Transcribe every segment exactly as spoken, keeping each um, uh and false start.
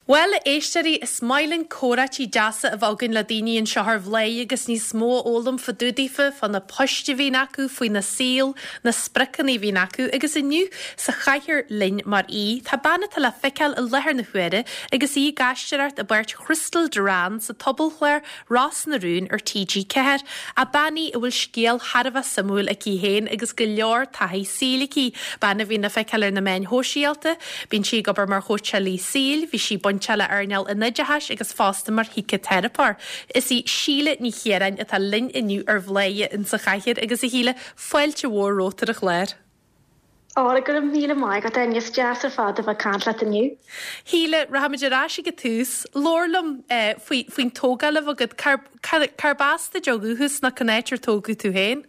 Bhuel, a éisteoirí, is maith linn comhráití deasa a bheith againn le daoine anseo ar Bhladhaire agus níos mó a fhoghlaim fá dtaobh daofa, fá na poist a bhíonn acu, faoina saol, na spriocanna a bhíonn acu, agus inniu sa chathaoir linn mar aoi, tá bean atá le feiceáil i láthair na huaire agus í ag aisteoireacht i bpáirt Chrystal Duran sa tsobalchlár Ros na Rún ar TG Ceathair, a bean í a bhfuil scéal thar a bheith suimiúil aici féin agus go leor taithí saoil aici, bean a bhíonn le feiceáil ar na meáin shóisialta, bíonn sí ag obair mar chóitseálaí saoil, bhí sí bainte le earnáil an oideachais agus fosta mar shíciteiripeoir. Is í Síle Ní Chiaráin atá linn inniu ar Bhladhaire in sa chathaoir agus a Shíle fáilte mhór romhat ar an chlár. Á go raibh míle maith agat Áine is deas ar fad a bheith ag caint leat inniu. Shíle, rachaimid ar ais ag an tús, labhair liom eh, faoi faoin tógáil a bhí agat cárb as duit ó dhúchas nó cén áit ar tógadh tú féin?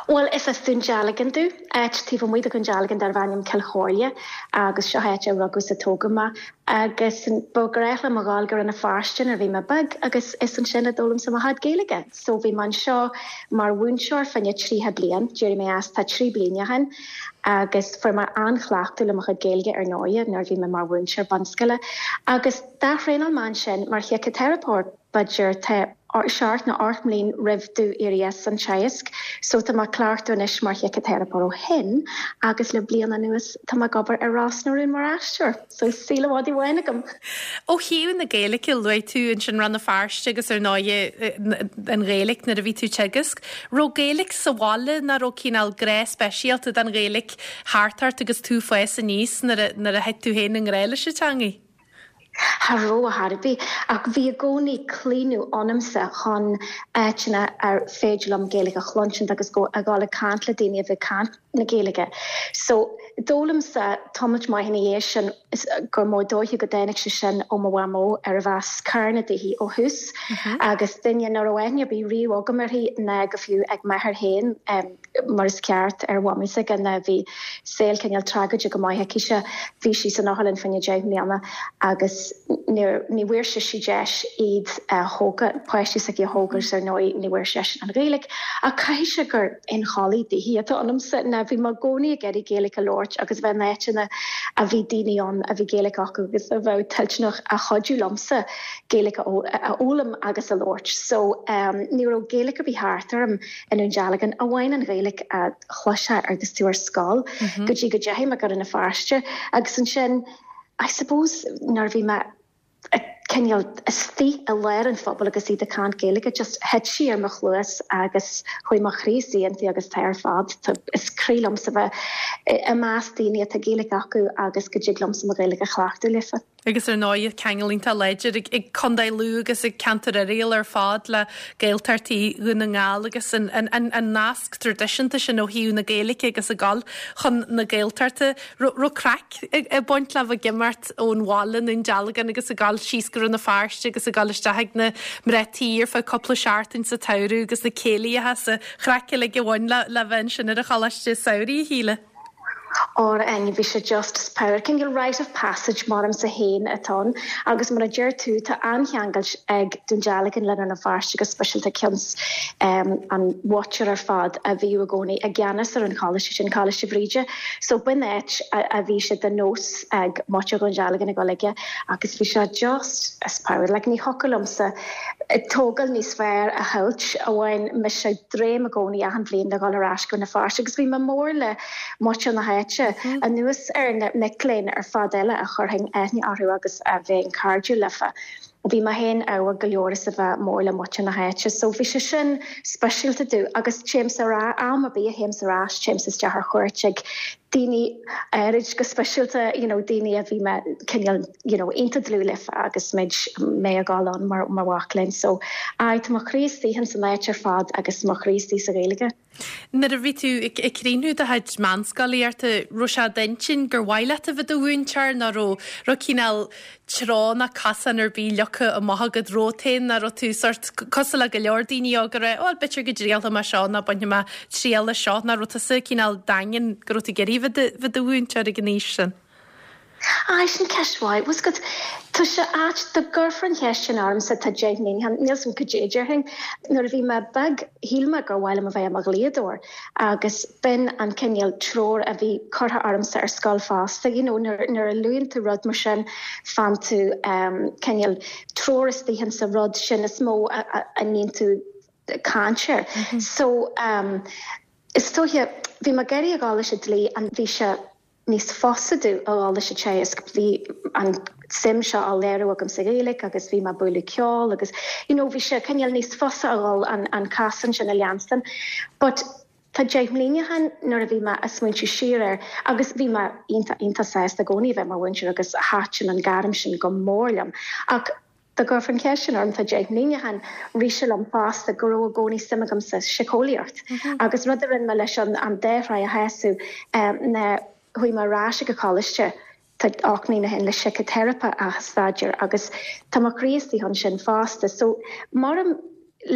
Well is as Dún Dealgan domh, áit taobh amuigh de Dhún Dealgan darbh ainm Cill Chomhairle agus seo áit a rugadh is a tógadh mé agus ba ghnách liom a ghabháil go Rann na Feirste nuair a bhí mé beag agus is ansin a d'fhoghlaim mé mo chuid Gaeilge. So bhí mé anseo mar mhúinteoir fá choinne tríocha bliain, d'éirigh mé as tá trí bliana ó shin agus fuair mé an-chleachtadh le mo chuid Gaeilge ar ndóigh nuair bhí mé mar mhúinteoir bunscoile agus d'athraonál mé ansin mar shíciteiripeoir b'fhéidir tá seacht nó ocht mbliain roimh domh éirí as an teagasc, so tá mé ag cleachtadh anois mar shíciteiripeoir ó shin agus le bliain anuas tá mé ag obair ar Ros na Rún mar aisteoir, so saol i bhfad amháin agam. Ó thaobh na Gaeilge luaigh tú ansin Rann na Feirste agus ar ndóigh an Ghaeilge nuair a bhí tú ag teagasc. Raibh Gaeilge sa bhaile nó raibh cineál grá speisialta don Ghaeilge thart ort agus tú ag fás aníos nuair a thit tú féin i ngrá leis an teanga? Cha raibh ar chor ar bith ach bhí i gcónaí claonadh ionamsa chun áiteanna ar féidir liom Gaeilge a chluinsint agus go a ghabháil ag caint le daoine a bhí ag caint na Gaeilge. So d'fhoghlaimsa tamalt maith ina dhiaidh sin gur mó dóiche go dtáinig sé sin ó mo mhamó arbh as Carna dithe ó thús agus duine nach raibh aithne ar bith riamh agam uirthi ná go fiú ag m'athair féin um, mar is ceart ar mhamaí s'aige ná bhí saol cineál tragóideach go maith aici bhí sí san otharlann fá choinne deich mbliana agus ní bhfuair sé sí deis iad a thógáil páistí s'aici a thógáil ar ndóigh ní bhfuair sé an Ghaeilge ach caithfidh sé gur inchollaí dithe atá ionamsa ná bhí mé i gcónaí ag iarraidh Gaeilge a labhairt agus bheith in áiteanna a bhí daoine ann a bhí Gaeilge acu agus a bheith toilteanach a chuidiú liomsa Gaeilge a fhoghlaim agus a labhairt. So um, ní raibh Gaeilge ar bith thart orm i nDún Dealgan amháin an Ghaeilge a chloisfeá agus tú ar scoil mm -hmm. go dtí go ndeachaigh mé go Rann na Feirste agus ansin I suppose nuair bhí mé cineál istigh i lár an phobail agus iad ag caint Gaeilge just thit sí ar mo chluas agus chuaigh mo chroí inti agus tá ar fad is croí liomsa bheith i measc daoine atá Gaeilge acu agus go dtig liomsa mo Ghaeilge a chleachtadh leofa. Agus ar ndóigh ceangal iontach láidir ag, ag Contae Lú agus ag ceantar Oiriall ar fad le Gaeltachtaí Dhún na nGall agus an, an, an, an nasc traidisiúnta sin ó thaobh na Gaeilge agus ag dul chun na Gaeltachta. Raibh craic ag baint le bheith ag imeacht ón bhaile i nDún Dealgan agus ag dul síos go Rann na Feirste agus ag dul isteach ag na mná tí ar feadh cúpla seachtain sa tsamhradh agus na céilithe sa chraic uilig a bhain le le bheith sin ar an choláiste samhraidh a Shíle. Or en bhí sé just power cineál rite of passage maramsa féin atá ann agus mar a deir tú tá an-cheangal ag Dún Dealgan le Rann na Feirste go speisialta cionns um, an mhuintir ar fad a bhí i gcónaí i gceannas ar an choláiste sin Coláiste Bhríde. So b'in áit a, a bhí sé de nós ag muintir Dhún Dealgan ag dul aige agus bhí sé just as power like ní thiocfadh liomsa tógáil níos fearr a shamhailt amháin mise dréim i gcónaí achan bhliain le dhul ar ais go na Feirste agus bhí mé mór le muintir na háite mm. anuas ar na mic léinn ar fad eile a chuirfinn aithne orthu agus a bheinn cairdiúil leofa. Bhí mé féin ábhar go leor is a bheith mór le muintir na háite, so bhí sé sin speisialta domh agus téim ar am ar bith a théim ar ais téim isteach ar chuairt ag daoine áirid go speisialta you know, daoine a bhí mé cineál you know, iontach dlúth leofa agus muid mé ag dul ann mar mar mhac léinn so ai tá mo chroí istigh san áit ar fad agus mo chroí istigh sa Ghaeilge. Nuair a bhí tú ag críochnú do chuid meánscolaíochta raibh sé d'intinn gur mhaith leat a bheith i do mhúinteoir nó raibh raibh cineál treo ná cosán ar bith leagtha amach agat romhat féin nó raibh tú sort cosúil le go leor daoine óga rá ó b'fhéidir go dtriailfidh mé seo ná bainfidh mé triail as seo nó raibh tusa cineál daingean go raibh tú ag iarraidh bheith i do mhúinteoir ag an aois sin. Aye, sin ceist mhaith. Bhfuil 's agat, tá sé ait dá gcuirfear an cheist sin ormsa tá deich mbliana, níl 's agam cad é déarfainn. Nuair a bhí mé beag, shíl mé gur mhaith liom a bheith i mo dhlíodóir agus b'in an cineál treoir a bhí curtha ormsa ar scoil fosta. You know, nuair, nuair a luann tú rud mar sin, faigheann tú um, cineál treoir istigh sa rud sin is mó a, a, a ndéanann tú caint air. Mm -hmm. So um, is dóiche bhí mé ag iarraidh a dhul leis an dlí an bhí sé níos fusa domh a dhul leis an teagasc bhí an suim seo á léiriú agam sa Ghaeilge agus bhí mé ag bualadh ceol agus you know, bhí sé cineál níos fusa a dhul an, an casan sin a leanstan. But tá deich mbliana ó shin nuair a bhí mé ag smaointiú siar air agus bhí mé iontach iontach sásta i gcónaí bheith mar mhúinteoir agus thaitin an gairm sin go mór liom. Ach dá gcuirfear an cheist sin orm tá deich mbliana ó shin rith sé liom fosta go raibh i gcónaí suim agam sa síceolaíocht. Mm -hmm. agus rud a rinne mé leis an an dá thráigh a shású um, na chuaigh mé ar ais go coláiste tá ocht mbliana ó shin le síciteiripe a staidéar agus tá mo chroí istigh ansin fosta. So mar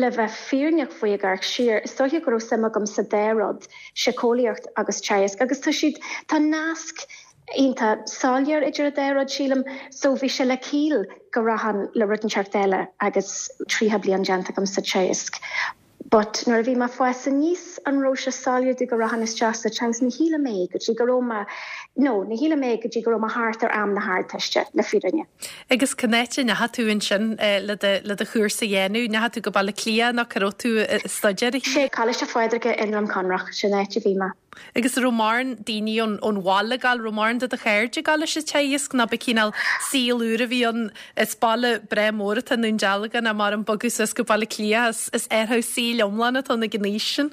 le bheith fírinneach faoi ag amharc siar, is dóiche go raibh suim agam sa dá rud, síceolaíocht agus teagasc, agus tá siad tá nasc iontach soiléir idir an dá rud sílim, so bhí sé le ciall go rachainn le rud inteacht eile agus tríocha bliain déanta agam sa teagasc. But nuair a bhí mé ag fás aníos an raibh sé soiléir domh go rachainn isteach sa teagasc ní shíl mé go dtí go raibh mé no ní shíl mé go dtí go raibh mé thart ar am na hArdteiste le fírinne. Agus cá háit a ndeachaigh tú ansin le le do chúrsa a dhéanamh, ndeachaigh tú go Baile Átha Cliath nó cá raibh tú ag staidéar? Sé Coláiste Phádraig i nDroim Conrach sin áit a bhí mé. Agus raibh mórán daoine ón ón bhaile ag gabháil raibh mórán de do chairde ag gabháil leis an teagasc nó ba cineál saol úr a bhí ann is baile breá mór atá i nDún Dealgan a mar an bogadh suas go Baile Átha Cliath is athrú saoil iomlán atá ag an aois sin.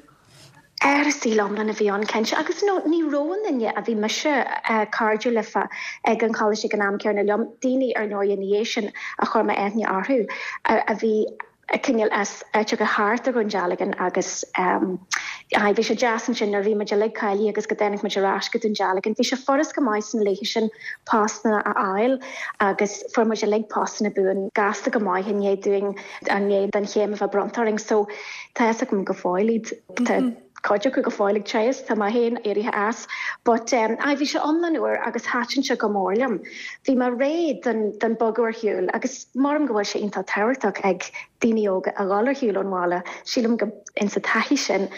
Athrú saoil iomlán a bhí ann cinnte agus no, ní raibh aon duine a bhí mise uh, cairdiúil leofa ag an choláiste ag an am céanna liom, daoine ar ndóigh ina dhiaidh sin a chuir mé aithne orthu a, a bhí cineál as áiteacha thart ar Dhún Dealgan agus um, bhí sé deas ansin nuair bhí muid uilig cáilithe agus go dtáinig muid ar ais go Dún Dealgan. Bhí sé furast go maith sna laethe sin postanna a fháil agus fuair muid uilig postanna buan gasta go maith i ndiaidh dúinn i ndiaidh don chéim a bheith bronnta orainn, so tá agam go fóill iad. Mm -hmm. Cuid acu go fóill ag teagasc tá mé féin éirithe as, but um, a bhí sé iomlán úr agus thaitin sé go mór liom. Bhí mé réidh den, den bogadh ar shiúl agus maram go bhfuil sé iontach tábhachtach ag daoine óga a dhul ar shiúl ón bhaile, sílim go insa taithí sin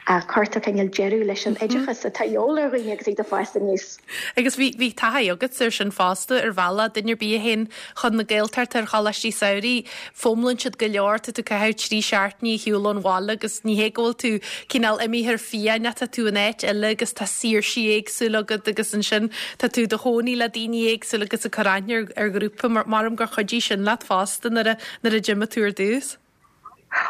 a cuirtear cineál deireadh leis an oideachas atá de dhíth ar dhaoine agus iad ag fás aníos. Agus bhí bhí taithí agat ar sin fosta ar bhealach duine ar bith a théann chun na Gaeltachta ar choláistí samhraidh, foghlaimíonn siad go leor tá tú caitheamh trí seachtainí ar shiúl ón bhaile agus ní hé go bhfuil tú cineál imithe ar fiáin tá tú in áit eile agus tá saoirsí éagsúla agat agus ansin tá tú i do chónaí le daoine éagsúla agus ag cur aithne ar, ar ghrúpa mar maram gur chuidigh sin leat fosta nuair a nuair a d'imigh tú ar dtús.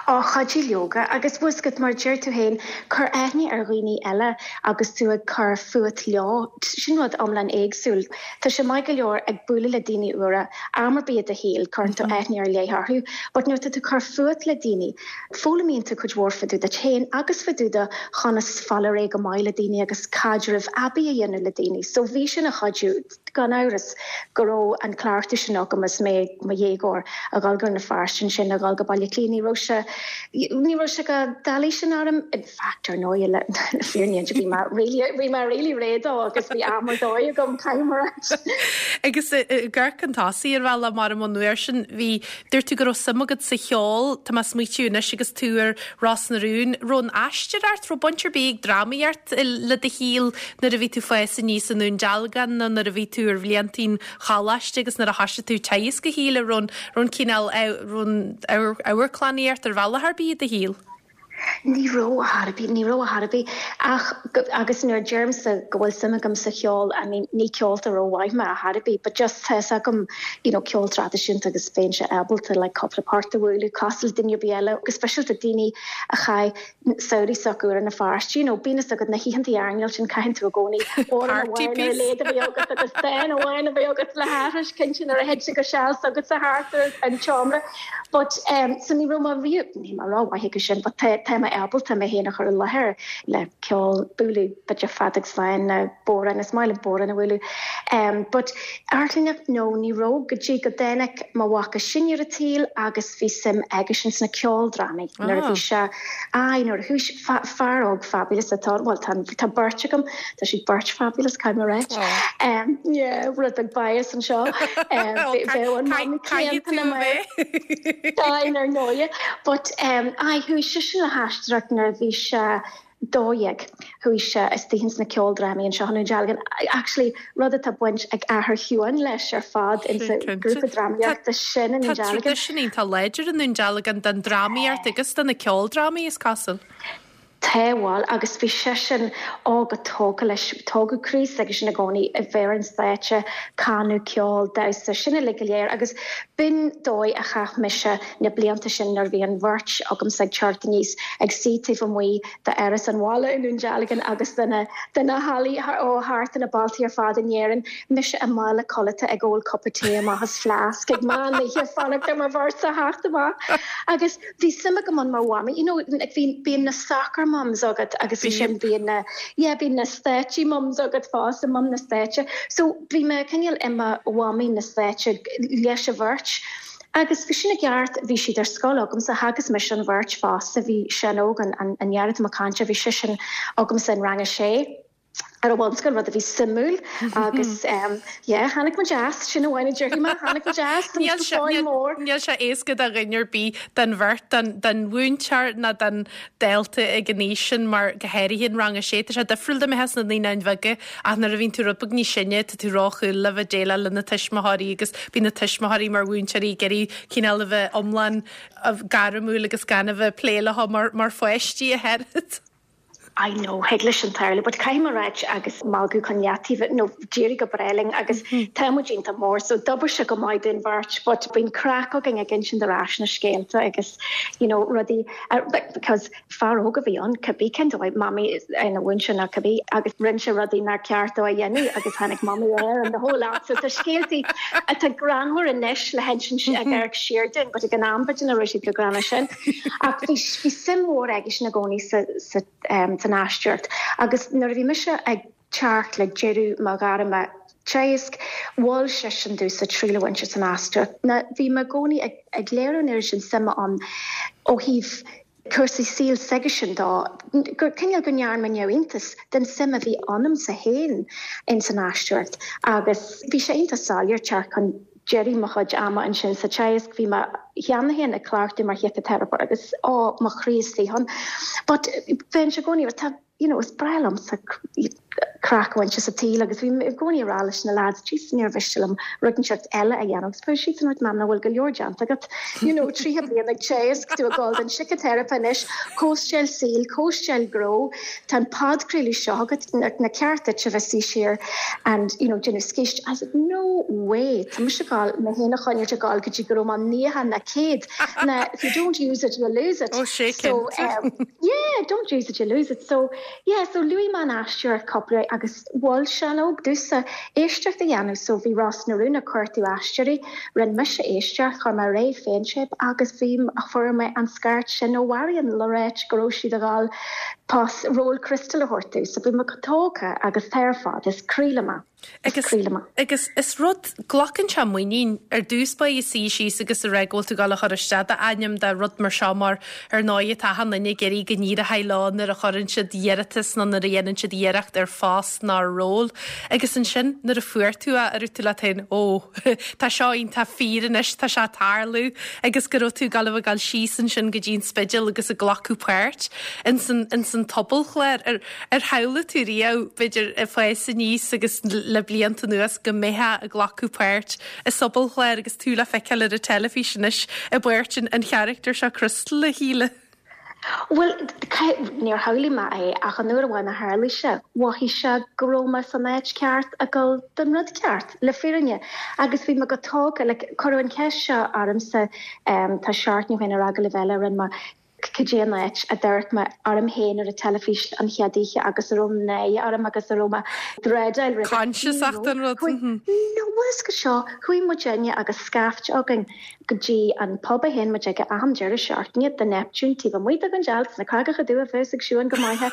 Á chuidigh leoga agus bhfuil 's agat mar deir tú féin cur aithne ar dhaoine eile agus tú ag cur fút leo sin rud iomlán éagsúil. Tá sé maith go leor ag bualadh le daoine úra am ar bith i do shaol cuireann tú aithne ar leith orthu, but nuair tá tú cur fút le daoine, foghlaimíonn tú cuid mhór fá dtaobh díot féin agus fá dtaobh de chonas fáil ar aghaidh go maith le daoine agus caidreamh aibí a dhéanamh le daoine. So bhí sin ina chuidiú gan amhras go raibh an cleachtadh sin agam is mé i mo dhéagóir a dhul go na Feirste sin a dhul go Baile Átha Cliath ní raibh sé ní raibh sé chomh doiligh sin orm in fact ar ndóigh le fírinne bhí mé really bhí mé really réidh dó agus bhí am ar dóigh agam caithfidh mé Agus gur an tosaí ar bhealach mar an uair sin bhí dúirt tú go raibh suim agat sa cheol tá mé ag smaoitiú anois agus tú ar Ros na Rún raibh an aisteoireacht raibh baint ar bith ag drámaíocht le do shaol nuair a bhí tú ag fás aníos i nDún Dealgan nó nuair a bhí tú ar bhlianta an choláiste agus nuair a thosaigh tú teagasc a shíle raibh an cineál raibh amharclannaíocht ar bhealach ar bith i do shaol. Ní raibh ar bith ní raibh ar bith ach agus nuair a deirimse go bhfuil suim agam sa cheol I mean ní ceoltóir rómhaith mé ar bith, but just tá agam you know, ceol traidisiúnta agus bheinnse ábalta like cúpla port a bhualadh cosúil le duine ar bith eile go speisialta daoine a chaith samhraí s'acu ar Rann na Feirste, you know, bíonn agat na hoícheanta airneáil sin caitheann tú i gcónaí Party piece. léad a bhí agat agus dán amháin a bhí agat le haithris cinnte nuair a thit sé go seal agat sa thart ar an tseomra. But um, so ní raibh mé riamh ní mar rómhaith go sin, but tá tá mé ábalta mé féin a chur i láthair le ceol bualadh b'fhéidir feadóg stáin nó bodhrán is maith liom bodhrán a bhualadh. Um, but amharclannaíocht no ní raibh go dtí go dtáinig mo mhac is sine ar an tsaol agus bhí suim aigesean sna ceoldrámaí nuair a bhí sé ai nuair a chuaigh fear óg fabulous atá well tá tá beirt agam tá siad beirt fabulous caithfidh mé a ráit. Um, yeah, rud beag bias anseo. Um, bheadh an mamaí céanna mar ar ndóigh, but um, ai chuaigh seisean le haisteoireacht nuair a bhí sé dó dhéag chuaigh sé isteach sna ceoldrámaí anseo i nDún Dealgan. Actually rud atá baint ag athair Shiúin leis ar fad in sa grúpa drámaíochta sin in Dún Dealgan. Traidisiún iontach láidir i nDún Dealgan den drámaíocht agus de na ceoldrámaí is cosúil. Tá bhuel agus bhí seisean á go tógtha leis tógadh croí s'aigesean i gcónaí a bheith ar an stáitse, canadh ceol damhsa sin uilig go léir agus b'in dóigh a chaith mise na blianta sin nuair a bhí an bheirt agamsa ag teacht aníos ag suí taobh amuigh d'Áras an Bhaile i nDún Dealgan agus de na de na hallaí ó thart na bailtí ar fad in Éirinn mise i mála codlata ag ól cupa tae amach as fleasc ag meán oíche fanacht ar mo bheirt a theacht amach agus bhí suim agam ann mar mhamaí you know like bhí bíonn na soccer mums agat agus bhí sin bíonn na yeah bíonn na stáitse mums agat fosta mum na stáitse so bhí mé cineál i mo mhamaí na stáitse leis an bheirt. Agus bhí sin i gceart bhí siad ar scoil agamsa theagasc mise an bheirt fosta bhí sin óg an an an dheartháir atá ag caint bhí seisean agamsa in rang a sé ar an bhunscoil rud a bhí suimiúil agus um, yeah, tháinig muid as sin amháin a déarfaidh mé tháinig muid as mór. Níl sé éasca do dhuine ar bith den bheirt den den mhúinteoir ná den dalta ag an aois sin mar go háirithe in rang a sé Tá sé difriúil dá mbeifeá sna naíonáin bheaga ach nuair a bhíonn tú rud beag níos sine tá tú róchúil le bheith déileáil le na tuismitheoirí agus bíonn na tuismitheoirí mar mhúinteoirí ag iarraidh cineál a bheith iomlán gairmiúil agus gan a bheith plé leo mar mar pháistí a oiread. I know thig leis sin tarlú, but caithfidh mé a ráit agus magadh chun leataobh nó d'éirigh go breá linn agus tá muid iontach mór so d'oibir sé go maith don bheirt, but bíonn craic againn ag insint ar ais na scéalta agus you know rudaí uh, because fear óg a bhí ann cibé cén dóigh mamaí ina mhúinteoir ná cibé agus rinne sé rudaí nár cheart dó a dhéanamh agus tháinig mamaí air and the whole lot so tá scéaltaí atá greannmhar anois le hinsint ag amharc siar dúinn, but ag an am b'fhéidir nach raibh siad chomh greannmhar sin. Ach bhí bhí suim mhór aigesean i gcónaí sa sa um, san aisteoireacht agus nuair a bhí mise ag teacht le deireadh mo ghairme teagaisc mhol seisean domhsa triail a bhaint as an aisteoireacht. Na bhí mé i gcónaí ag, ag léiriú an oiread sin suime ann ó thaobh cúrsaí saoil s'aigesean dó gur cineál go ndearna mé neamhiontas den suim a bhí ionamsa féin in san aisteoireacht agus bhí sé iontach soiléir teacht chun deireadh mo chuid ama ansin sa teagasc bhí mé cheana féin ag cleachtadh mar shíciteiripeoir agus á mo chroí istigh ann. But bhí sé i gcónaí tá you know, is breá liomsa craic a bhaint as an tsaol agus bhí i gcónaí ag rá leis na lads jeez níor mhiste liom rud inteacht eile a dhéanamh agus siad san mam bhfuil go leor déanta agat you know tríocha bliain ag teagasc tú ag dul don síciteiripe anois cóisteáil saoil cóisteáil gnó tá an podchraoladh seo agat na cearta a bheith siar and you know déanamh scéist I said no way Tá mise ag gabháil mé féin a choinneáil ag gabháil go dtí go raibh mé nócha ná céad na if you don't use it you lose it Oh sé so um, yeah don't use it you lose it so yeah so luaigh mé an aisteoireacht cúpla agus mhol Seán Óg domhsa éisteacht a dhéanamh so bhí Ros na Rún ag cuartú aisteoirí rinne mise éisteacht chuir mé réidh féintéip agus bhí a fuair mé an scairt sin ó Mharion le ráit go raibh siad ag gabháil pas ról Crystal a thabhairt dom so bhí mé tógtha agus tá ar fad is croí liom é. Agus agus is rud glacann sé muinín ar dtús ba suí síos agus a rá go bhfuil tú ag gabháil a chur isteach d'ainm do rud mar seo mar ar ndóigh tá achan duine ag iarraidh go n-éireoidh leo nuair a chuireann siad iarratas nó nuair a dhéanann siad iarracht ar phost ná ról. Agus ansin nuair a fuair tú é ar tú leat féin ó tá seo iontach fíor anois tá sé ag tarlú agus go raibh tú ag gabháil a ghabháil síos ansin go dtí an Spidéal agus ag glacadh páirt in san in san sobalchlár ar ar shamhlaigh tú riamh b'fhéidir ag fás aníos agus le blianta anuas go mbeifeá ag glacadh páirt i sobalchlár agus tú le feiceáil ar an teilifís anois i bpáirt an an charachtar seo Crystal a Shíle. Well níor shamhlaigh mé é ach an uair amháin a tharla sé, mhothaigh sé go raibh mé san áit ceart ag dul don rud ceart le fírinne agus bhí mé go tógtha le cuireadh an cheist seo ormsa um, tá seachtain ó shin ar agallamh eile rinne mé Cad é an áit a d'amharc mé orm féin ar an teilifís an chéad oíche agus a raibh náire orm agus a raibh mé dreideáil roimhe. Conscious den rud. No was go seo chuaigh muidinne agus scaifte againn go dtí an pub a théann muid ag achan deireadh seachtaine the Neptune taobh amuigh de an dealt na Creagacha Dubha bheith ag siúin go maithe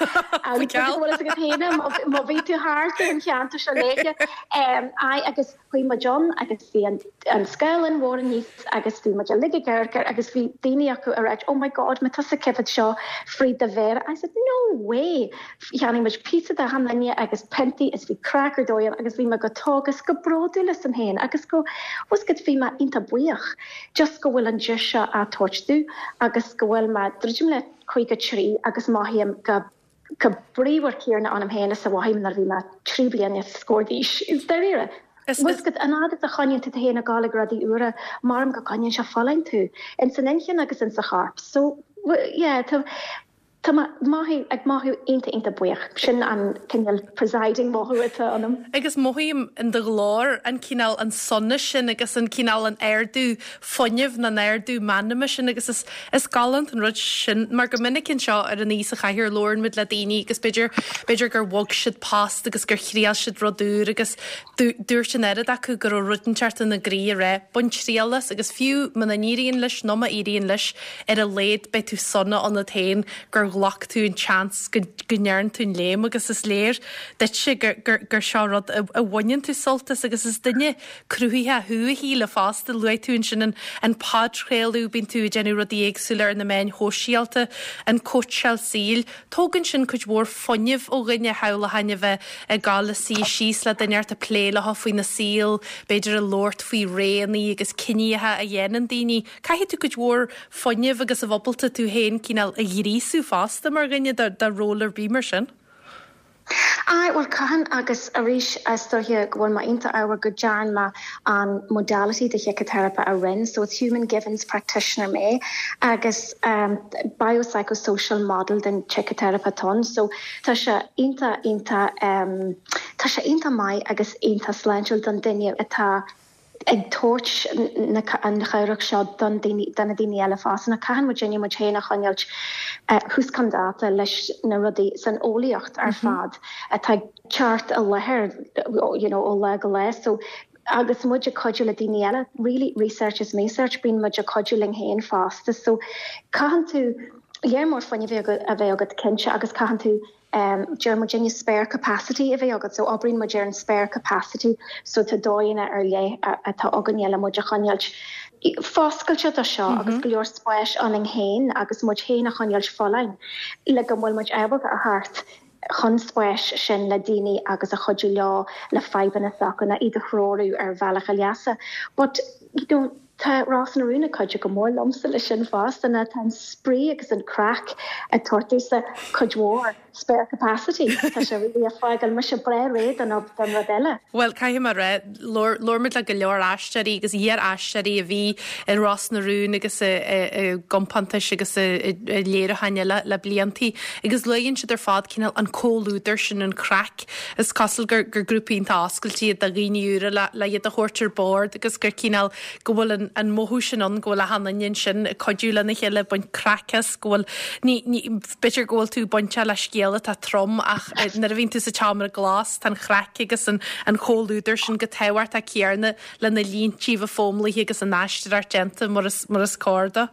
má bhí tú thart an cheantar seo léithe agus chuaigh muid ann agus bhí an an scáileán mhór aníos agus bhí muid uilig ag amharc agus bhí daoine acu a rá oh my god má tusa cifid seo fríd do mhéara I said no way Cheannaigh muid pizza d'achan duine agus piontaí is bhí craic ar dóigh agus bhí mé go tágus go bródúil asam féin agus go was go bhí mé iontach buíoch just go bhfuil an deis seo á tabhairt domh agus go bhfuil mé druidim le caoga trí agus mothaím go go bríomhar céanna ionam féin is a mhothaigh nuair bhí mé trí bliana is scór d'aois is dáiríre. Was go an fhad a choinníonn tú féin ag gabháil ag rudaí úra mar go gcoinníonn sé folláin tú in san inchinn agus in sa chorp. So yeah, tá Tá maith ag mothú iontach iontach buíoch sin an cineál presiding mothú atá ionam. Agus mothaím in do ghlór an cineál an sonas sin agus an cineál an ardú fuinnimh na n-ardú meanma sin agus is, is galánta an rud sin mar go minic anseo ar an sa chathair labhrann muid le daoine agus b'fhéidir b'fhéidir gur bhog siad post agus gur thriail siad rud úr agus dúirt an oiread acu go raibh rud inteacht ina gcroí a rá bain triail as agus fiú muna n-éiríonn leis nó má éiríonn leis ar a laghad beidh tú sona ionat féin gur ghlac tú an chance go ndearna tú an léim agus is léir duitse gur, gur, gur seo rud a, a bhaineann tú sult as agus is duine cruthaitheach thú a Shíle fosta luaigh tú ansin an, an podchraoladh bíonn tú ag déanamh rudaí éagsúla ar na meáin shóisialta an cóitseáil saoil. Tógann sin cuid mhór fuinnimh ó dhuine shamhlóinn a bheith ag gabháil a suí síos le duine ort a plé leo faoina saol, b'fhéidir a labhairt faoi roghanna agus cinntí a dhéanann daoine. Caithfidh tú cuid mhór fuinnimh agus a bheith ábalta tú féin cineál a ghríosú fosta mar dhuine do ról ar bith mar sin. Á well caitheann agus arís is dóiche go bhfuil mé iontach ádhúil go ndearna mé an modality de shíciteiripe a rinne, so it's human givens practitioner mé agus um, biopsychosocial model den tsíciteiripe atá ann, so tá sé iontach iontach um, tá sé iontach maith agus iontach sláintiúil don duine atá ag tabhairt an chabhrach seo don na daoine eile fosta na caitheann muid muid féin a choinneáil thuas chun dáta leis na rudaí san eolaíocht ar mhm. fad atá teacht i láthair you know, ó lá go lá so agus muid ag cuidiú le daoine eile really research is research bíonn muid ag cuidiú linn féin fosta so caitheann tú léir mór fuinnimh a bheith agat cinnte agus caitheann tú um, deir muidinne spare capacity a bheith agat so oibríonn muid ar an spare capacity so tá dóigheanna ar leith atá againne le muid a choinneáil foscailte do seo mm -hmm. agus go leor spáis ionainn féin agus muid féin a choinneáil folláin le go bhfuil muid ábalta a theacht chun spáis sin le daoine agus a chuidiú leo le fadhbanna s'acu iad a threorú ar bhealach a leasa. But you know, tá Ros na Rún ag cuidiú go mór liomsa leis sin fosta na tá an spraoi agus an craic ag tabhairt sa cuid mhór spare capacity Tá sé really ag fágáil mise breá réidh don don rud eile. Well caithfidh mé rá labhair muid le go leor aisteoirí agus iar-aisteoirí a bhí i Ros na Rún agus i gcompántais agus i léiriúcháin eile le bliantaí agus luann siad ar fad cineál an comhluadar sin an craic is cosúil gur gur grúpa iontach oscailte do dhaoine úra le le iad a thabhairt ar bord agus gur cineál go bhfuil an, an mothú sin ann go bhfuil achan duine sin cuidiú lena chéile baint craic as go bhfuil b'fhéidir go bhfuil tú bainte le scéal atá trom ach nuair a bhíonn tú sa tseomra glas tá an chraic agus an, an comhluadar sin chomh tábhachtach céanna lena líntí bheith fómlaithe agus an aisteoireacht déanta mar is, mar is cóir dó.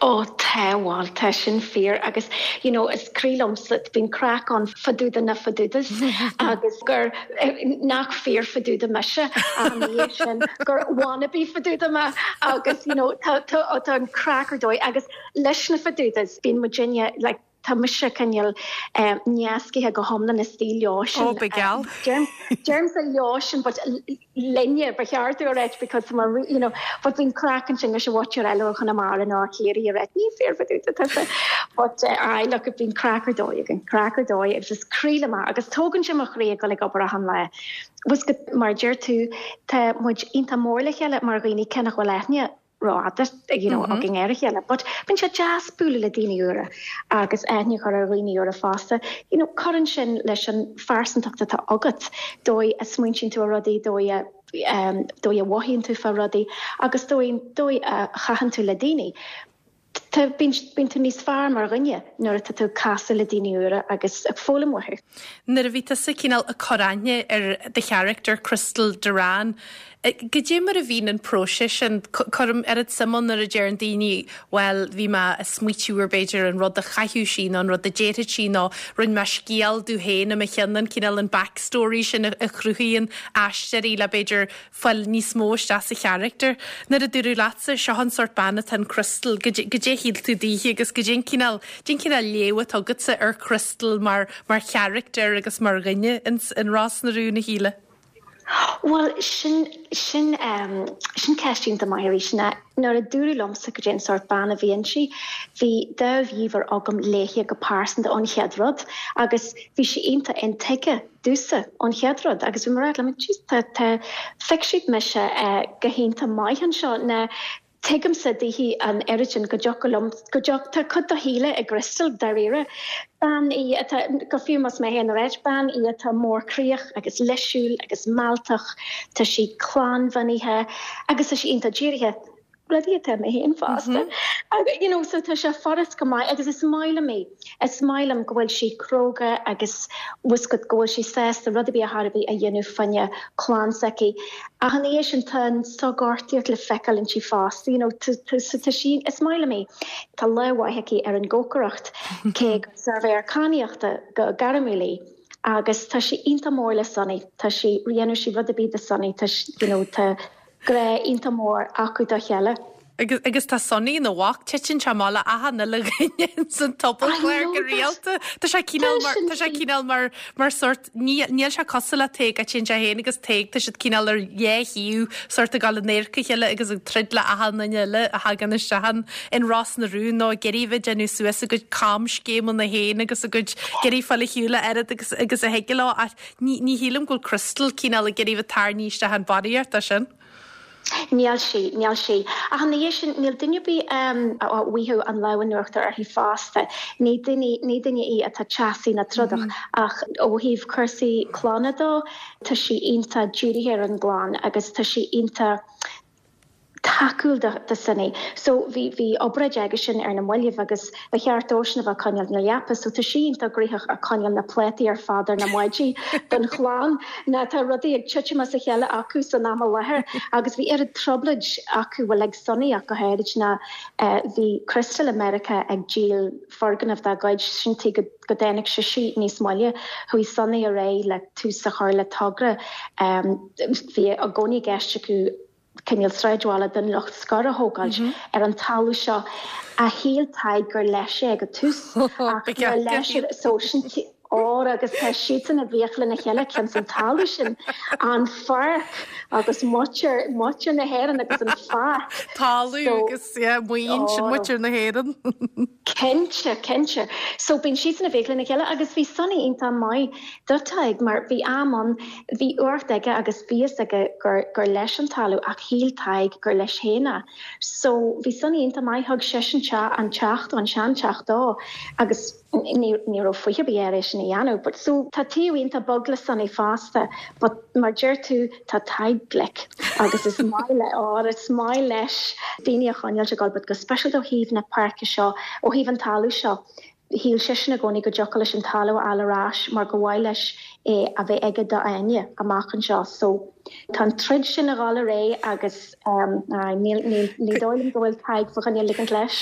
Ó tá bhuel tá sin fíor agus you know, is croí liomsa bíonn craic ann fá dtaobh de na fadudas agus gur eh, nach fíor faduda mise an sin gur wannabe faduda mé agus you know, tá tá tá an craic ar dóigh agus leis na fadudas bíonn muidinne like, tá mise cineál um, neascithe go hiomlán is tí leo sin. Ó begal. Deirimse leo sin but linne ba cheart a rá because mar you know but bíonn craic ansin leis an mhuintir eile Chonamara ná Chiarraí a rá ní fíor fadúda but uh, I look at bíonn craic ar dóigh an craic ar dóigh agus is croí liom agus tógann sé mo chroí go ag obair achan lá. Was go mar deir tú tá muid iontach mór le chéile mar dhaoine cé nach bhfuil aithne ró-fhada you know, mm -hmm. againn ar a chéile, but bíonn sé deas bualadh le daoine úra agus aithne chur ar dhaoine úra fosta. You know, cuireann sin leis an phearsantacht atá agat dóigh a smaoiníonn tú ar rudaí dóigh a um, dóigh a mhothaíonn tú fá rudaí agus dóigh dóigh a chaitheann tú le daoine. Tá bíonn tú níos fearr mar dhuine nuair atá tú ag casadh le daoine úra agus ag foghlaim uathu. Nuair a bhí tusa cineál ag cur aithne ar do charachtar Crystal Duran, Goidé mar a bhíonn an próiseas sin cuirim oiread suim ann nuair a deireann daoine bhuel bhí mé ag smaoitiú ar b'fhéidir an rud a chaithfeadh sí nó an rud a déarfadh sí nó rinne mé scéal domh féin i mo cheann an cineál an backstory sin a chruthaíonn aisteoirí le b'fhéidir fáil níos mó isteach sa charachtar. Nuair a dúradh leatsa seo an sórt bean atá in Crystal goidé a shíl tú daoithe agus goidé an cineál cén cineál léamh atá agatsa ar Crystal mar mar charachtar agus mar dhuine in, in Ros na Rún a Shíle. Well sin sin um, sin ceist iontach maith arís ná nuair a dúradh liomsa goidé an sórt bean a bhí inti, bhí dáimh agam léithe go pearsanta an chéad rud agus bhí sí iontach intuigthe domhsa an chéad rud agus bhí mar le tá phioc siad mise uh, go hiontach maith anseo na tuigimse daoithi an oiread sin go dtiocfadh liom go dtiocfadh tá cuid do Shíle i gCrystal dáiríre. Bean í atá go fiú más mé féin réit bean í atá mórchroíoch agus leisciúil agus mealltach, tá sí clannbhunaithe agus tá sí iontach dírithe. Rudaí atá mé féin fosta. Mm you know, so tá sé furast go maith agus is maith liom é. Is maith liom go bhfuil sí cróga agus go go bhfuil sí sásta rud ar bith a bhí a dhéanamh fá choinne clann s'aici. Ach an é sin tá sogortíocht le feiceáil inti fosta, you know, tá sí is maith liom é. Tá lámh aici ar an gcócaireacht cé suirbhéir cadhnaíochta go gairmiúil í. agus tá sí iontach mór le Sonny Tá sí dhéanfadh sí rud ar bith do Sonny tá you know, tá grá iontach mór acu dá chéile. Agus, agus tá Sonny ina mhac titeann sé amach le achan uile dhuine san tobalchlár go rialta. Tá sé cineál mar tá sé cineál mar mar sórt níl sé cosúil le Tadhg a sé féin agus Tadhg tá siad cineál ar dhá thaobh sórt ag gabháil in adharca a chéile agus ag troid le achan duine eile a thagann isteach in Ros na Rún nó ag iarraidh bheith déanamh suas a gcuid camscéimeanna féin agus a gcuid ag iarraidh fáil ar shiúl a oiread agus agus a thig leo ach ní ní shílim go bhfuil Crystal cineál ag iarraidh bheith tarraingthe isteach an barraíocht sin. Níl sí níl sí ach an sin níl duine ar bith um, a bhfuigheadh an lámh in uachtar uirthi fosta ní duine ní duine í atá teasaí ná trodach mm -hmm. ach ó thaobh cúrsaí clainne dó tá sí iontach dírithe ar an gclann agus tá sí iontach tacúil do Sonny. So bhí bhí obráid aige sin ar na mallaibh agus ba cheart dósan a bheith coinneáil na leapa, so tá sí iontach gnoitheach ar coinneáil na pléataí ar fad ar na maidí don chlann na tá rudaí ag titim as a chéile acu san am i láthair agus bhí ar trioblóid acu bhfuil ag Sonny ach go háirid na uh, bhí Crystal America ag díol foirgneamh dá gcuid sin tí go go dtáinig sé sí níos moille chuaigh Sonny ar aghaidh le tús a chur le togra um, bhí i gcónaí i gceist acu cineál sráidbhaile den lucht scoir a thógáil mm -hmm. ar an talamh seo a shíl Tadhg gur leis é go tús leis so sin ó agus tá siad i bhfiacha lena chéile cionn an talamh sin an pháirc agus muintir muintir na hÉireann agus an pháirc. Talamh agus maoin sin muintir na hÉireann. Cinnte cinnte. So bíonn siad i bhfiacha lena chéile agus bhí Sonny iontach maith do Tadhg mar bhí am ann bhí uacht aige agus bhí a fhios aige gur gur leis an talamh ach shíl Tadhg gur leis féin é. So bhí Sonny iontach maith thug seisean te an teach an seanteach dó agus ní raibh fiche bí air sin a dhéanamh, but so tá taobh iontach bog le Sonny fosta, but mar deir tú tá Tadhg glic agus is maith le á is maith leis daoine a choinneáil ag gabháil, but go speisialta ó thaobh na páirce seo ó thaobh an talamh seo. Shíl seisean i gcónaí go dtiocfadh leis an talamh a fháil ar ais mar go mhaith leis é a bheith aige do Áine amach anseo so tá an troid sin ag dul ar aghaidh agus um, ní dóigh liom go bhfuil Tadhg fá choinne ligint leis.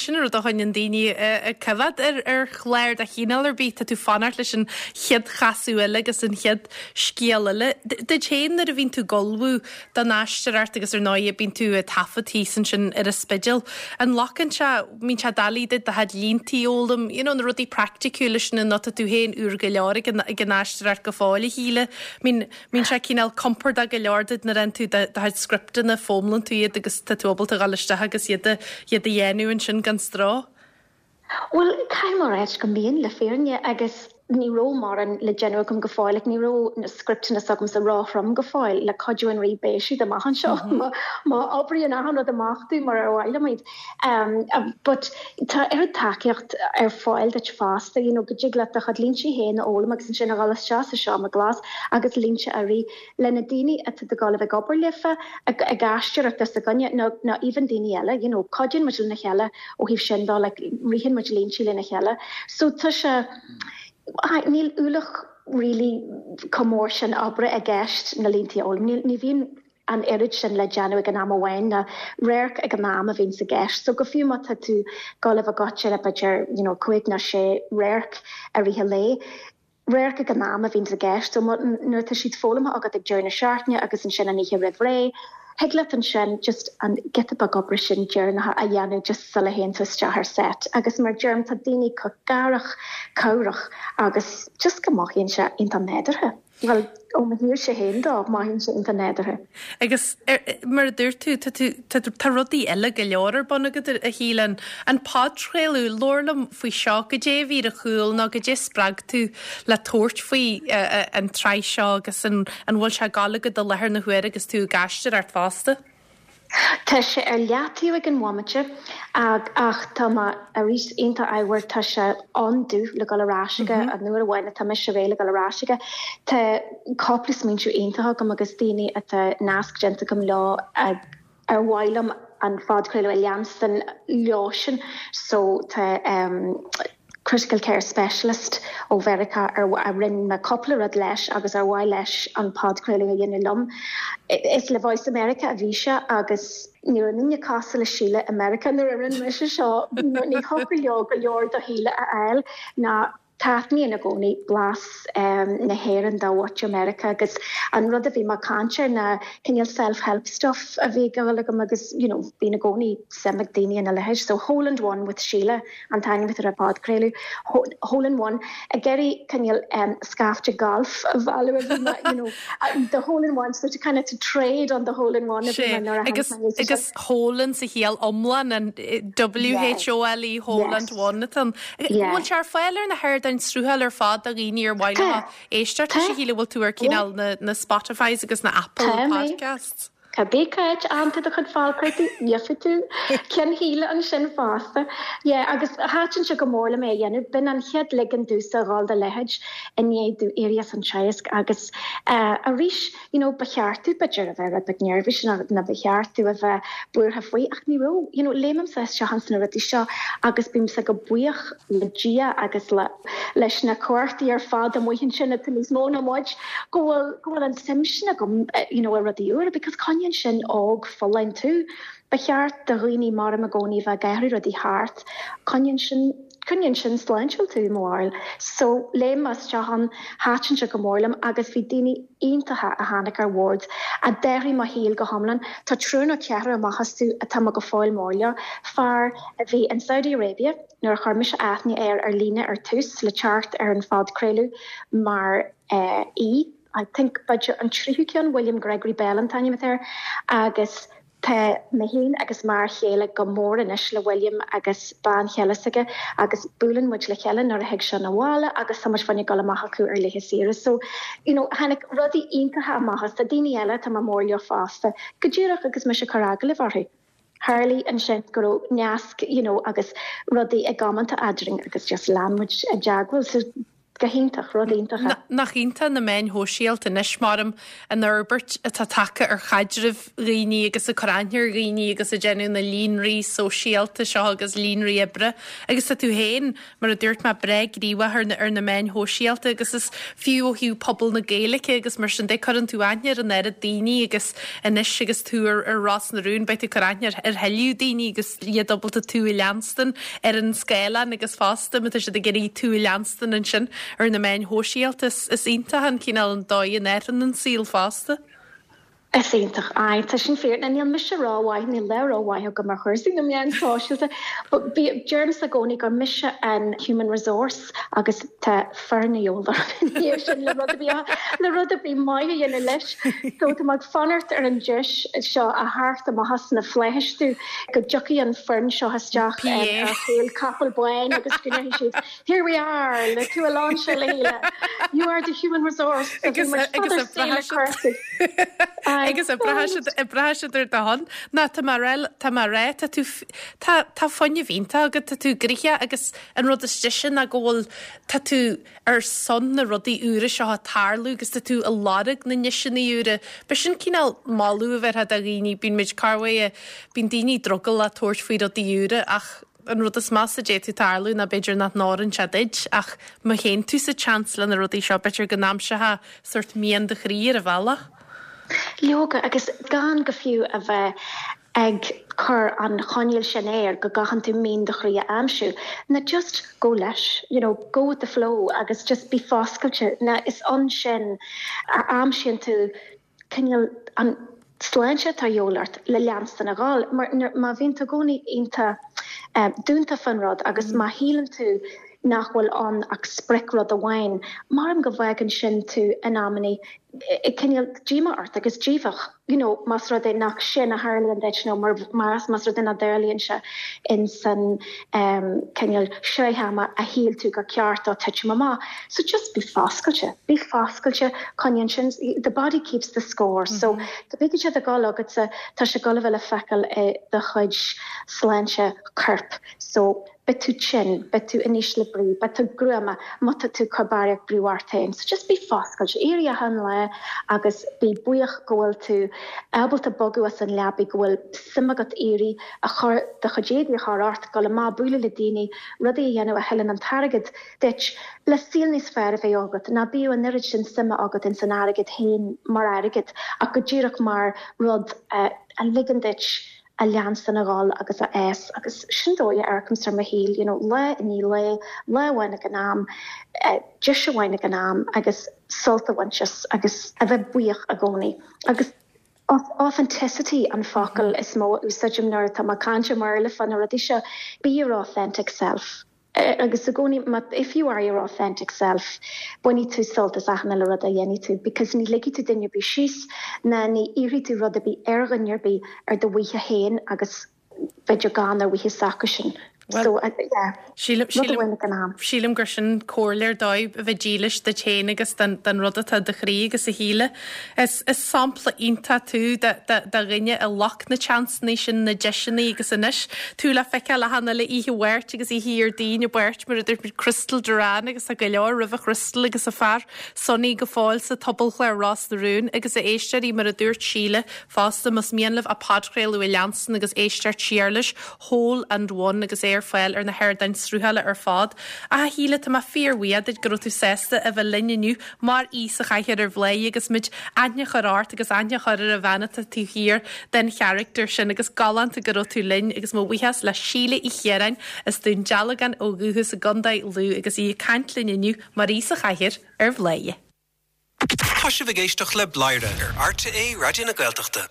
Sin rud a choinníonn daoine ag coimhéad ar ar chlár de chineál ar bith tá tú fanacht leis an chéad chasadh eile agus an chéad scéal eile. Duit féin nuair a bhíonn tú ag ullmhú don aisteoireacht agus ar ndóigh bíonn tú ag taifead thíos ansin ar an Spidéal. An nglacann sé mbíonn sé doiligh duit do chuid línte a fhoghlaim, you know, na rudaí praiticiúla sin nó tá tú féin úr go leor ag an ag an aisteoireacht go fóill a Shíle. Mbíonn mbíonn sé cineál compordach go leor duit nuair tú do chuid scripteanna foghlaim tú iad agus tá tú ábalta dul isteach agus iad iad a dhéanamh ansin gan stró. Well caithfidh mé rá go mbíonn le fírinne agus ní raibh mórán le déanamh agam go fóill, like, ní raibh na scripteanna s'agamsa róthrom go fóill le cuidiú an Rí beidh siad amach anseo mm -hmm. má oibríonn achan rud amach dom mar ar mhaith liom iad. Um, uh, but tá oiread tacaíocht ar fáil duit fosta, you know, go dtig leat do chuid línte féin a fhoghlaim agus ansin a dhul isteach sa seomra glas agus línte a rith le na daoine atá ag dul a bheith ag obair leofa ag ag aisteoireacht is againne nó nó even daoine eile, you know, cuidíonn muid lena chéile ó thaobh sin de like, ritheann muid línte lena chéile. So tá sé níl ualach really chomh mór sin oibre i gceist na línte a fhoghlaim. Ní bhíonn an oiread sin le déanamh ag an am amháin na radharc ag an am a bhíonn i gceist. So go fiú má tá tú ag dul a bheith le b'fhéidir you know, cúig nó sé radharc i rith an lae. Radharc ag an am a bhíonn i gceist, so nuair tá siad foghlamtha agat ag deireadh na seachtaine agus ansin an oíche roimh ré, Thig leat ansin just an giota beag oibre sin deireanach a dhéanamh just sula théann tú isteach ar set. Agus mar deirim tá daoine chomh cabhrach cabhrach agus just go mothaíonn sé iontach nádúrtha. Well ó mo thaobhsa féin de mothaíonn sé iontach nádúrtha. Agus mar a dúirt tú tá rudaí eile go leor ar bun agat a Shíle an podchraoladh labhair liom faoi seo goidé a bhí ar a chúl nó goidé spreag tú le tabhairt faoi an tsraith seo agus an bhfuil sé ag gabháil agat i láthair na huaire agus tú ag aisteoireacht fosta. Tá sé ar leataobh ag an bhomaite ach ach tá mé arís iontach ábhar tá sé an-dubh le dul ar ais aige an uair amháin atá mise réidh le dul ar ais aige. Tá cúpla smaointe iontach agam agus daoine atá nasc déanta agam leo ar mhaith liom an phodchraoladh a leanstan leo sin so tá um, critical care specialist ó Mheiriceá ar a rinne mé cúpla rud leis agus ar mhaith leis an podchraoladh a dhéanamh liom. Is le Voice America a bhí sé agus ní raibh duine cosúil le Síle i Meiriceá nuair a rinne mise seo ní thiocfadh leo go leor de Shíle a fháil ná taitníonn i gcónaí blas um, na hÉireann do mhuintir America agus an rud a bhí mar caint na cineál self-help stuff a bhí go agam agus you know, bíonn i gcónaí suim ag daoine ina leithéid. So Hole in One with Sheila an t-ainm ar an podchraoladh Hole in One ag iarraidh cineál um, scaifte golf a bhailiú you know, the hole in one so to kind of to trade on the hole in one agus agus hole in sa chiall iomlán an W H O L E hole in one an bhfuil sé ar fáil ar na hardáin sruthail ar fad do dhaoine ar mhaith leo éisteacht a Shíle bhfuil tú ar cineál na, na Spotify's agus na Apple podcasts. Cibé cá bhfaigheann tú do chuid podchraoltaí gheobhaidh tú ceann Shíle ansin fosta. Yeah, agus thaitin sé go mór liom é a dhéanamh b'in an chéad ligean domhsa dhul do leithéid i ndiaidh domh éirí as an teagasc agus uh, arís you know, ba cheart domh b'fhéidir a bheith rud beag neirbhíseach na, na ba cheart domh a bheith buartha faoi ach ní raibh you know, léimimse isteach sna rudaí seo agus bímse go buíoch le Dia agus le leis na cumhachtaí ar fad amuigh ansin atá níos mó ná muid go bhfuil go bhfuil an suim sin agam eh, you know, i rudaí úra because coinníonn sin óg folláin tú. Ba cheart do dhaoine mar i gcónaí bheith ag athrú rudaí thart, coinníonn sin coinníonn sin sláintiúil tú móil. So léim isteach ann thaitin sé go mór liom agus bhí daoine iontacha a tháinig ar bord a d'athraigh mo shaol go hiomlán Tá triúr nó ceathrar amach astu atá mé go fóill mór leo fear a bhí in Saudi Arabia nuair a chuir mise aithne air ar líne ar tús le teacht ar an phodchraoladh mar uh, í. I think b'fhéidir an tríú ceann William Gregory Bell an t-ainm air agus Tá mé féin agus mar chéile go mór anois le William agus bean chéile s'aige agus buaileann muid le chéile nuair a thig sé abhaile agus tá muid féin ag dul amach acu ar laethe saoire. So you know, tháinig rudaí iontacha amach as daoine eile tá mór leo fosta go díreach agus mise ag cur agallamh orthu. Tharla ansin go raibh nasc you know, agus rudaí ag amanta eadrainn agus just lean muid i dteagmháil so go hiontach rud iontach. Nach iontach na meáin shóisialta anois maram an fhorbairt atá tagtha ar chaidreamh dhaoine agus a cur aithne ar dhaoine agus a déanamh na líonraí sóisialta seo agus líonraí oibre. agus tá tú féin mar a dúirt mé breá gníomhach ar na ar na meáin shóisialta agus is fiú ó thaobh pobal na Gaeilge agus mar sin de cuireann tú aithne ar an oiread daoine agus anois agus tú ar ar Ros na Rún beidh tú cur aithne ar thuilleadh daoine agus iad ábalta tú a leanstan ar an scáileán agus fosta má tá siad ag iarraidh tú a leanstan ansin ar na meáin shóisialta is is iontach an cineál an dóigh in athraíonn an saol fosta. Is iontach é tá sin fíor na níl mise rómhaith níl le rómhaith go mar chúrsaí na meán sóisialta, but deirimse i gcónaí gur mise an human resource agus tá foireann sin le rud le rud a bhí maith a dhéanamh leis. So tá ag fanacht ar an deis seo a theacht amach na flaithis tú go dtiocfaidh an foireann seo isteach ar chúl capall bán agus go siad. Here we are le tú a láse le You are the human resource agus agus braithfidh siad ar do shon ná tá mar tá mar ré tá tú tá tá fuinneamh iontach agat tá tú gnoitheach agus an rud is deise ná go bhfuil tá tú ar son na rudaí úra seo ag tarlú agus tá tú ag lorg na ndeiseanna úra. B'shin cineál moladh a bheith do dhaoine bíonn muid carhé bíonn daoine drogallach tabhairt faoi rudaí úra ach an rud is measa a d'fhéadfadh tarlú ná b'fhéidir nach n-oireann sé duit ach má théann tú sa tseans le na rudaí seo b'fhéidir go n-aimseofá sórt mian do chroí ar an bhealach. Leoga agus gan go fiú a bheith ag cur an choinníoll sin air go gcaitheann tú mian do chroí a aimsiú. Na just go leis, you know, go with the flow agus just bí foscailte na is ansin a aimsíonn tú cineál an sláinte atá de dhíobháil ort le leanstan a ghabháil mar má bhíonn tú i gcónaí iontach um, dúnta fan rud agus mm. má shíleann tú nach bhfuil ann ach sprioc rud amháin, mar go bhfágann sin tú in amannaí cineál díomá ort agus díobhach you know, más rud é nach sin a tharlaíonn duit nó mar mar más rud é nach dtarlaíonn sé in san um, cineál sraith ama a shíl tú gur ceart dó titim amach. So just bí foscailte, bí foscailte chun sin the body keeps the score. Mm -hmm. So tá bí sé a gáil agat tá sé ag gabháil le feiceáil i do chuid sláinte coirp. So beidh tú tinn, beidh tú in ísle brí, beidh tú gruama má tá tú ag cur barraíocht brú ort féin. So just bí foscailte éirí achan lá agus bí buíoch go bhfuil tú ábalta bogadh as an leabaidh go bhfuil suim agat éirí a chur do chuid éadaí a chur ort go le má bualadh le daoine rudaí a dhéanamh a thuilleann an t-airgead duit le saol níos fearr a bheith agat ná bíodh an oiread sin suime agat in san airgead féin mar airgead ach go díreach mar rud uh, a ligeann duit a leanstan a ghabháil agus a fhás agus sin dóigh a amharcaimse ar mo shaol you know, lá i ndiaidh lae lá amháin ag an am uh, deis amháin ag an am agus sult a bhaint as agus a bheith buíoch i gcónaí agus authenticity an focal is mó úsáidim nuair atá mé ag caint mar le fan rudaí seo be your authentic self. agus i gcónaí if you are your authentic self bainfidh tú sult as achan uile rud a dhéanfaidh tú because ní ligfidh tú duine ar bith síos ná ní iarrfaidh tú rud ar bith ar dhuine ar bith ar do mhaithe féin agus b'fhéidir gan ar mhaithe s'acusan. So uh, yeah, Sílim gur sin comhairle ar dóigh a bheith dílis duit féin agus den, den rud atá i do chroí agus a Shíle. Is, is sampla iontach tú de, de, de dhuine a ghlac na seansanna sin na deiseanna agus anois tú le feiceáil le hana le ihe bhairt agus ihe ar daoine beirt mar idir Crystal Duran agus a go leor roimh Crystal agus a fear Sonny go fóill sa tobalchléir Ros na Rún agus a éisteoirí mar a dúirt Síle fosta más mian libh a podchraoladh a leanstan agus éisteacht siar leis Whole and One agus é ar fáil ar na hardáin sruthála ar fad. A Shíle tá mé fíorbhuíoch go raibh tú sásta a bheith linn inniu mar aoi sa chathaoir ar Bhladhaire agus muid aithne a chur ort agus aithne a chur ar an bhean atá taobh thiar den charachtar sin agus galánta go raibh tú linn agus mo bhuíochas le Síle Uí Chiaráin as Dún Dealgan ó dhúchas i gContae Lú agus í ag caint linn inniu mar aoi sa chathaoir ar Bhladhaire. Tá sibh ag éisteacht le Bladhaire ar RTÉ Raidió na Gaeltachta.